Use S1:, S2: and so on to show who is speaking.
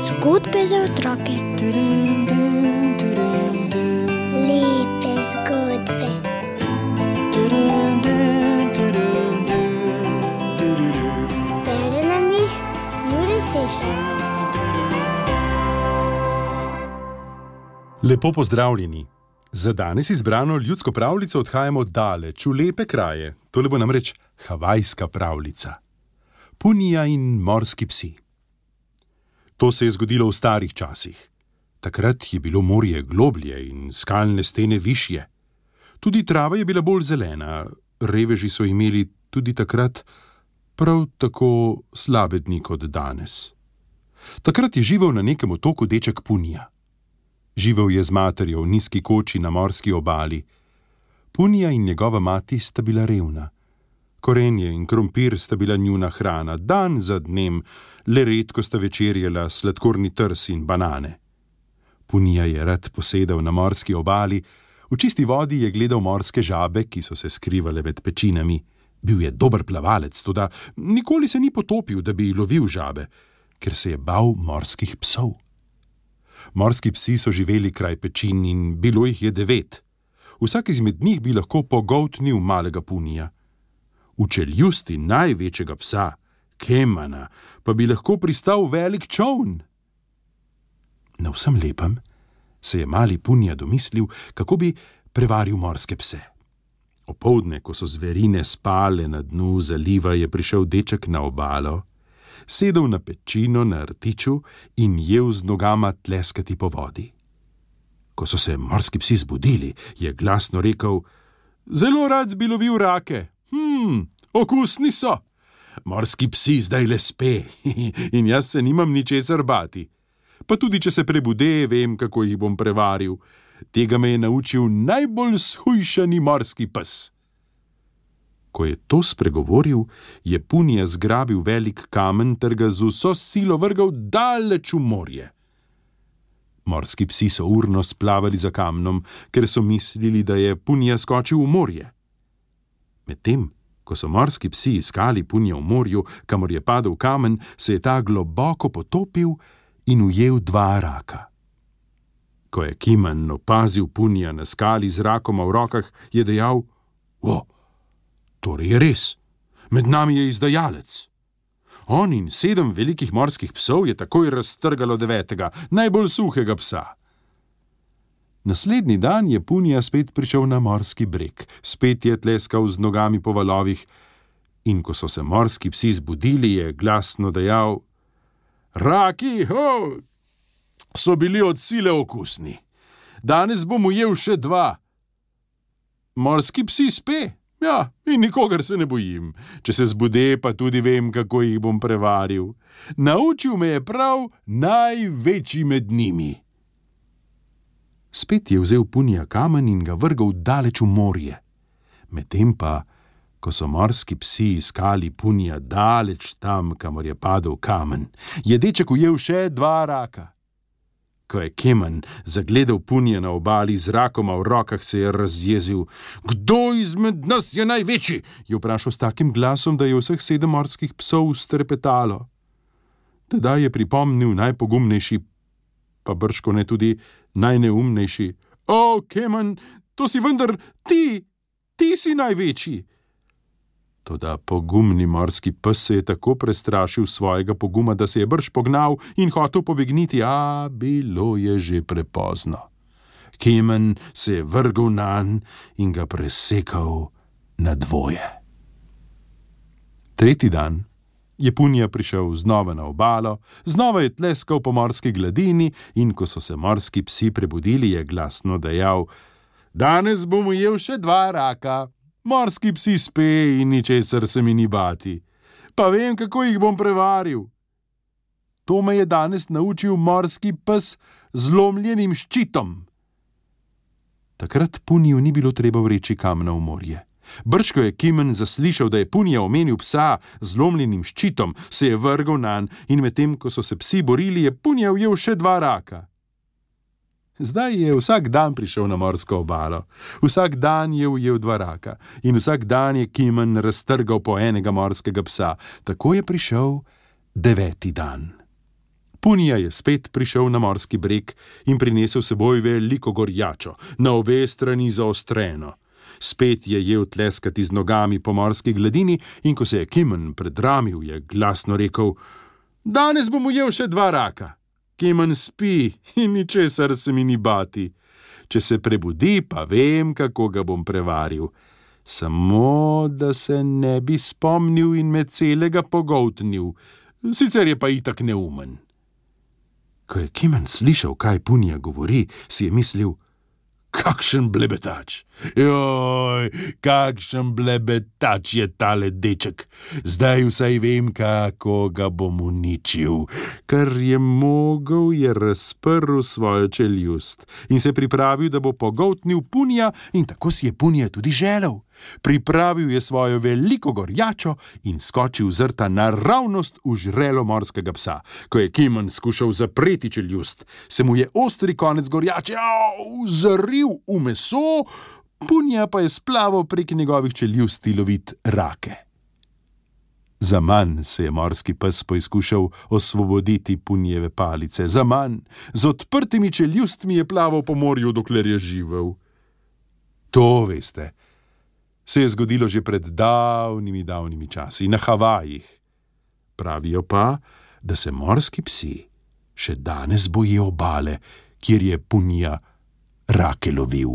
S1: Zgodbe za otroke.
S2: Lepe zgodbe. Bere nam jih Jure Sešar.
S3: Lepo pozdravljeni. Za danes izbrano ljudsko pravljico odhajamo daleč, v lepe kraje. Tole bo namreč havajska pravljica. Punija in morski psi. To se je zgodilo v starih časih. Takrat je bilo morje globlje in skalne stene višje. Tudi trava je bila bolj zelena, reveži so imeli tudi takrat prav tako slabe dni kot danes. Takrat je živel na nekem otoku deček Punija. Živel je z materjo v nizki koči na morski obali. Punija in njegova mati sta bila revna. Korenje in krompir sta bila njuna hrana, dan za dnem, le redko sta večerjala sladkorni trs in banane. Punija je rad posedal na morski obali, v čisti vodi je gledal morske žabe, ki so se skrivale med pečinami. Bil je dober plavalec, toda nikoli se ni potopil, da bi lovil žabe, ker se je bal morskih psov. Morski psi so živeli kraj pečin in bilo jih je 9. Vsak izmed njih bi lahko pogoltnil malega Punija. V čeljusti največjega psa, Kemana, pa bi lahko pristal velik čoln. Na vsem lepem se je mali Punija domislil, kako bi prevaril morske pse. Opoldne, ko so zverine spale na dnu zaliva, je prišel deček na obalo, sedel na pečino na rtiču in jel z nogama tleskati po vodi. Ko so se morski psi zbudili, je glasno rekel: "Zelo rad bi lovil rake. Okusni so. Morski psi zdaj le spe in jaz se nimam ničesar bati. Pa tudi, če se prebude, vem, kako jih bom prevaril. Tega me je naučil najbolj shujšani morski pes." Ko je to spregovoril, je Punija zgrabil velik kamen ter ga z vso silo vrgal daleč v morje. Morski psi so urno splavali za kamnom, ker so mislili, da je Punija skočil v morje. Medtem, ko so morski psi iskali Punija v morju, kamor je padel kamen, se je ta globoko potopil in ujel 2 raka. Ko je Kiman opazil Punija na skali z rakoma v rokah, je dejal: "Torej je res, med nami je izdajalec." On in 7 velikih morskih psov je takoj raztrgalo 9., najbolj suhega psa. Naslednji dan je Punija spet prišel na morski breg, spet je tleskal z nogami po valovih in ko so se morski psi zbudili, je glasno dejal: "Raki, so bili od sile okusni. Danes bom ujel še 2. Morski psi spe, ja, in nikogar se ne bojim. Če se zbude, pa tudi vem, kako jih bom prevaril. Naučil me je prav največji med njimi." Spet je vzel Punija kamen in ga vrgal daleč v morje. Medtem pa, ko so morski psi iskali Punija daleč tam, kamor je padel kamen, je deček ujel še 2 raka. Ko je Keman zagledal Punija na obali z rakoma v rokah, se je razjezil. "Kdo izmed nas je največji?" je vprašal s takim glasom, da je vseh 7 morskih psov strepetalo. Tedaj je pripomnil najpogumnejši, pa bržkone tudi najneumnejši: "O, Keman, to si vendar ti si največji." Toda pogumni morski pes se je tako prestrašil svojega poguma, da se je brž pognal in hotel pobegniti, a bilo je že prepozno. Keman se je vrgel nanj in ga presekal na 2. Tretji dan je Punija prišel znova na obalo, znova je tleskal po morski gladini in ko so se morski psi prebudili, je glasno dejal: "Danes bom ujel še 2 raka. Morski psi spe in ničesar se mi ni bati. Pa vem, kako jih bom prevaril. To me je danes naučil morski pes z lomljenim ščitom." Takrat Puniju ni bilo treba vreči kamna v morje. Brž ko je Kimen zaslišal, da je Punija omenil psa z lomljenim ščitom, se je vrgel nanj in medtem, ko so se psi borili, je Punija ujel še 2 raka. Zdaj je vsak dan prišel na morsko obalo, vsak dan je ujel 2 raka in vsak dan je Kimon raztrgal po enega morskega psa. Tako je prišel 9. dan. Punija je spet prišel na morski breg in prinesel seboj veliko gorjačo, na obe strani zaostreno. Spet je jel tleskati z nogami po morski gladini in ko se je Kimon predramil, je glasno rekel: Danes bom ujel še 2 raka. Kimon spi in ničesar se mi ni bati. Če se prebudi, pa vem, kako ga bom prevaril. Samo, da se ne bi spomnil in me celega pogoltnil. Sicer je pa itak neumen. Ko je Kimon slišal, kaj Punija govori, si je mislil: Kakšen blebetač! Joj, kakšen blebetač je tale deček! Zdaj vsaj vem, kako ga bom uničil. Kar je mogel, je razprl svojo čeljust in se pripravil, da bo pogoltnil Punija, in tako si je Punija tudi želel. Pripravil je svojo veliko gorjačo in skočil zrta naravnost v žrelo morskega psa. Ko je Kimon skušal zapreti čeljust, se mu je ostri konec gorjače zaril v meso, Punija pa je splaval prek njegovih čeljusti lovit rake. Zaman se je morski pes poizkušal osvoboditi Punijeve palice. Zaman, z odprtimi čeljustmi je plaval po morju, dokler je živel. To, veste, se je zgodilo že pred davnimi časi, na Havajih. Pravijo pa, da se morski psi še danes bojijo obale, kjer je Punija rake lovil.